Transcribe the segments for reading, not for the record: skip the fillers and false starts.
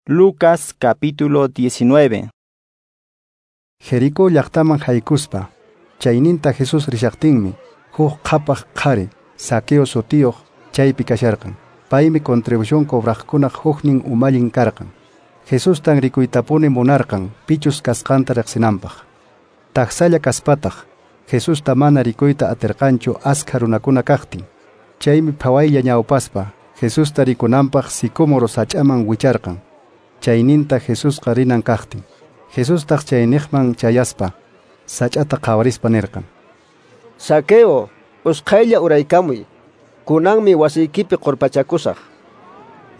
Lucas capítulo 19. Jericó llaqtaman haykuspa, chayninta Jesús rishaqtinmi, huk qhapaq qhari, Zaqueo sutiyuq, chaypi kasharqan. Paymi contribución cobraqkunaq huknin umallin karqan. Jesustan rikuytapuni munarqan, pichus kasqanta riqsinanpaq. Taksalla kaspataq, Jesusta mana rikuyta atirqanchu askha runakuna kaqtin. Chaymi phawaylla ñawpaspa, Jesusta rikunanpaq sicómoro sach'aman wicharqan. Chayninta Jesusqa rinan kaqtin. Jesustaq chayniqman chayaspa, sach'ata qhawarispa nirqan: Zaqueo, usqhaylla uraykamuy. Kunanmi wasiykipi qurpachakusaq.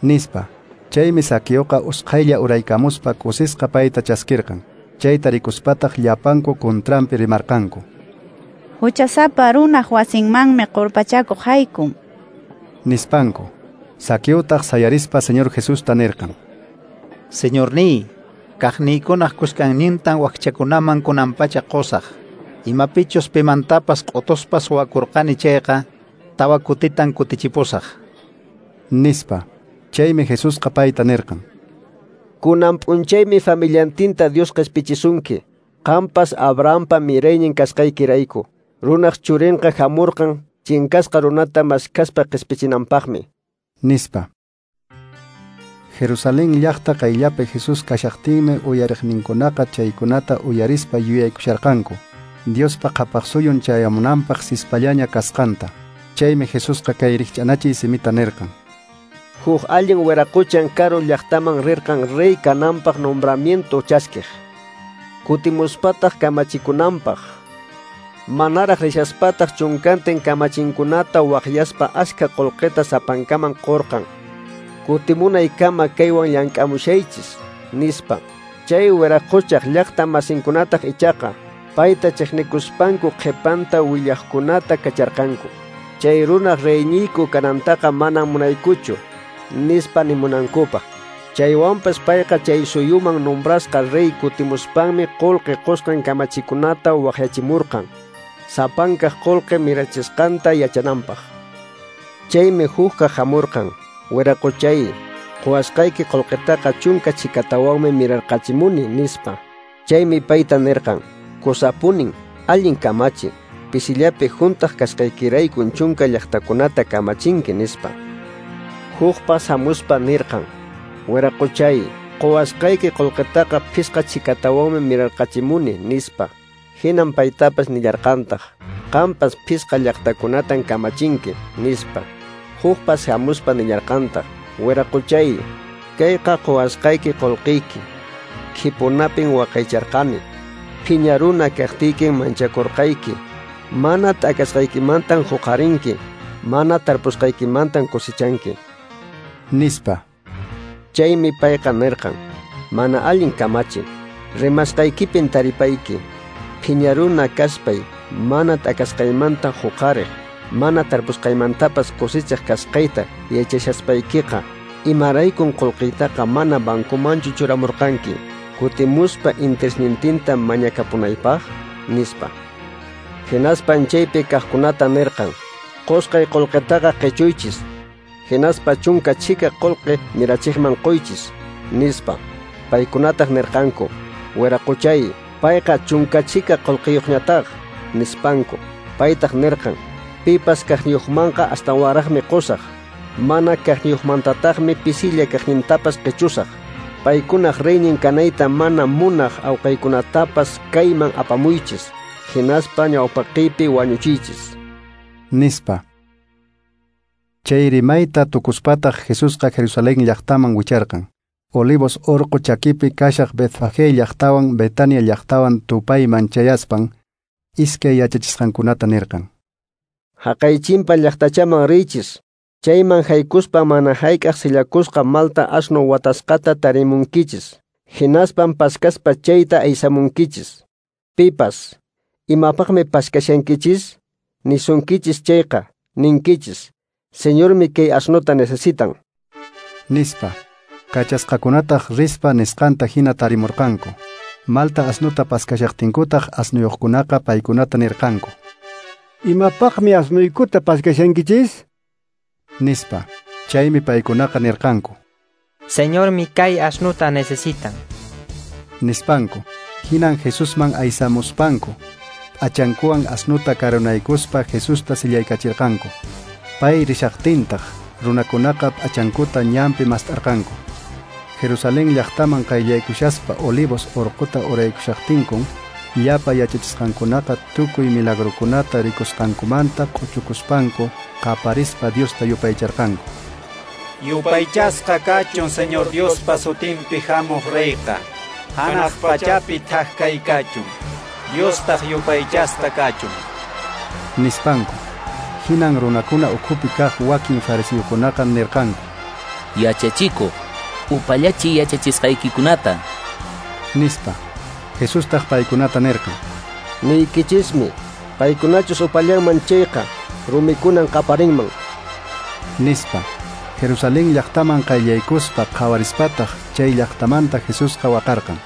Nispa. Chaymi Zaqueoqa usqhaylla uraykamuspa kusisqa payta chaskirqan. Chayta rikuspataq llapanku contranpi rimarqanku: Huchasapa runaq wasinmanmi qurpachakuq haykun. Nispanku. Zaqueotaq sayarispa Señor Jesusta nirqan: Señorniy, kaqniykunaq kuskannintan wakchakunaman kunanpacha qusaq. Imapichus pimantapas q'utuspa suwakurqani chayqa, tawa kutitan kutichipusaq. Nispa. Chaymi Jesusqa payta nirqan: Kunan p'unchaymi familiantinta Dios qispichisunki. Qampas Abrahampa miraynin kasqaykirayku. Runaq churinqa hamurqan chinkasqa runata maskaspa qispichinanpaqmi. Nispa. Jerusalén llaqta qayllapi Jesús kashaqtinmi uyariqninkunaqa chaykunata uyarispa yuyaykusharqanku, Diospa qhapaq suyun chayamunanpaq sispallaña kasqanta. Chaymi Jesusqa kay rikch'anachiy simita nirqan: Huk allin wiraquchan karu llaqtaman rirqan rey kananpaq nombramiento chaskiq. Kutimuspataq kamachikunanpaq. Manaraq rishaspataq chunkantin kamachinkunata waqyaspa askha qullqita sapankaman qurqan. Kutimunaykama kaywan llank'amushaychis, nispa. Chay wiraquchaq llaqta masinkunataq ichaqa payta chiqnikuspanku qhipanta willaqkunata kacharqanku. Chay runaq reyniyku kanantaqa manan munaykuchu, nispa nimunankupaq. Chaywanpas payqa chay suyuman nombrasqa rey kutimuspanmi qullqi qusqan kamachikunata waqyachimurqan, sapankaq qullqi mirachisqanta yachananpaq. Chaymi hukqa hamurqan: Wiraquchay, quwasqayki qullqitaqa chunka chikatawanmi mirarqachimuni, nispa. Chaymi payta nirqan: Kusapunin, allin kamachi, pisillapi hunt'aq kasqaykiraykun chunka llaqtakunata kamachinki, nispa. Hukpas hamuspa nirqan: Wiraquchay, quwasqayki qullqitaqa phisqa chikatawanmi mirarqachimuni, nispa. Hinan paytapas nillarqantaq: Qampas phisqa llaqtakunatan kamachinki, nispa. Hukpas hamuspa nillarqantaq: Wiraquchay, kayqa quwasqayki qullqiyki, khipunapin waqaycharqani. Phiña runa kaqtiykin manchakurqayki. Mana t'akasqaykimantan huqarinki, mana tarpusqaykimantan cosechanki. Nispa. Chaymi payqa nirqan: Mana allin kamachi, rimasqaykipin taripayki. Phiña runa kaspay, mana t'akasqaymanta huqariq, mana tarpusqaymantapas cosechaq kasqayta yachashaspaykiqa, imaraykun qullqiytaqa mana bancomanchu churamurqanki, kutimuspa interesnintinta mañakapunaypaq, nispa. Hinaspan chaypi kaqkunata nirqan: Qusqay qullqitaqa qichuychis, hinaspa chunka chhika qullqi mirachiqman quychis, nispa. Paykunataq nirqanku: Wiraquchay, payqa chunka chhika qullqiyuqñataq, nispanku. Paytaq nirqan: Pipas kaqniyuqmanqa astawanraqmi qusaq, mana kaqniyuqmantataqmi pisilla kaqnintapas qichusaq. Paykunaq reynin kanayta mana munaq awqaykunatapas kayman apamuychis, hinaspa ñawpaqiypi wañuchiychis, nispa. Chay rimayta tukuspataq Jesusqa Jerusalén llaqtaman wicharqan. Olivos orqo chakipi kashaq Betfagé llaqtawan Betania llaqtawan tupayman chayaspan, iskay yachachisqankunata nirqan: Haqay chimpa llaqtachaman riychis. Chayman haykuspa mana hayk'aq sillakusqa malta asno watasqata tarimunkichis. Hinaspan paskaspa chayta aysamunkichis. Pipas, imapaqmi paskashankichis? Nisunkichis chayqa, ninkichis: Señormi kay asnota necesitan, nispa. Kachasqakunataq rispa nisqanta hina tarimurqanku. Malta asnuta paskashaqtinkutaq asnuyuqkunaqa paykunata nirqanku: Imapaqmi asnuykuta paskashankichis? Nispa. Chaymi paykunaqa nirqanku: Señormi kay asnuta necesitan. Nispanku. Hinan Jesusman aysamuspanku, p'achankuwan asnuta karunaykuspa Jesusta sillaykachirqanku. Pay rishaqtintaq runakunaqa p'achankuta ñanpi mast'arqanku. Jerusalén llaqtaman qayllaykushaspa Olivos urquta uraykushaqtinkun, llapa yachachisqankunaqa tukuy milagrokunata rikusqankumanta q'uchukuspanku qaparispa Diosta yupaycharqanku. Yupaychasqa kachun Señor Diospa sutinpi hamuq reyqa, hanaq pachapi thak kay kachun, Diostaq yupaychasqa kachun. Nispanku. Hinan runakuna ukhupi kaq wakin fariseokunaqa nirqanku: Yachachikuq, upallachi yachachisqaykikunata. Nispa. Jesustaq paykunata nirqan: Niykichismi, paykunachus upallanman chayqa, rumikunan qaparinman. Nispa. Jerusalén llaqtaman qayllaykuspa qhawarispataq chay llaqtamanta Jesusqa waqarqan: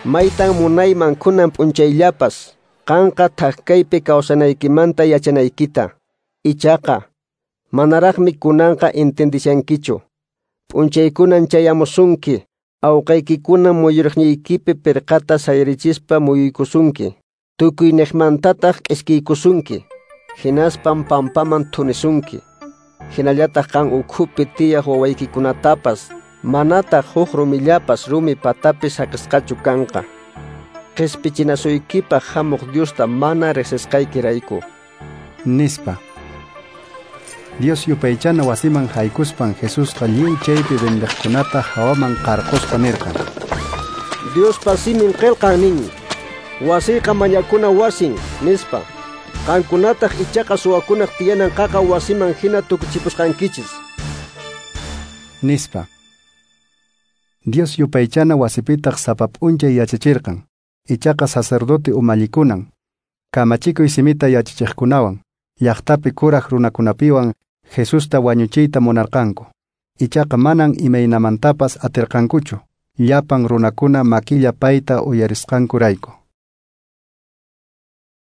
Maytan munayman kunan p'unchayllapas qanqa thak kaypi kawsanaykimanta yachanaykita. Ichaqa manaraqmi kunanqa entendishankichu. P'unchaykunan chayamusunki, awqaykikuna muyuriqniykipi pirqata sayarichispa muyuykusunki, tukuy niqmantataq k'iskiykusunki, hinaspan pampaman thunisunki. Hinallataq qan ukhupi tiyaq wawaykikunatapas manataq huk rumillapas rumi patapi saqisqachu kanqa. Qispichinasuykipaq hamuq Diosta mana riqsisqaykirayku. Nispa. Dios yupaychana wasiman haykuspan Jesusqa lliw chaypi vendeqkunata hawaman qarquspa nirqan: Diospa simin qillqan nin, wasiyqa mañakuna wasin, nispa. Qankunataq ichaqa suwakunaq tiyanan qaqa wasiman hina tukuchipusqankichis. Nispa. Dios yupaychana wasipitaq sapa p'unchay yachachirqan. Ichaqa sacerdote umallikunan, kamachikuy simita yachachiqkunawan, llaqtapi kuraq runakunapiwan Jesusta wañuchiyta munarqanku. Ichaqa manan imaynamantapas atirqankuchu, llapan runakuna makilla payta uyarisqankurayku.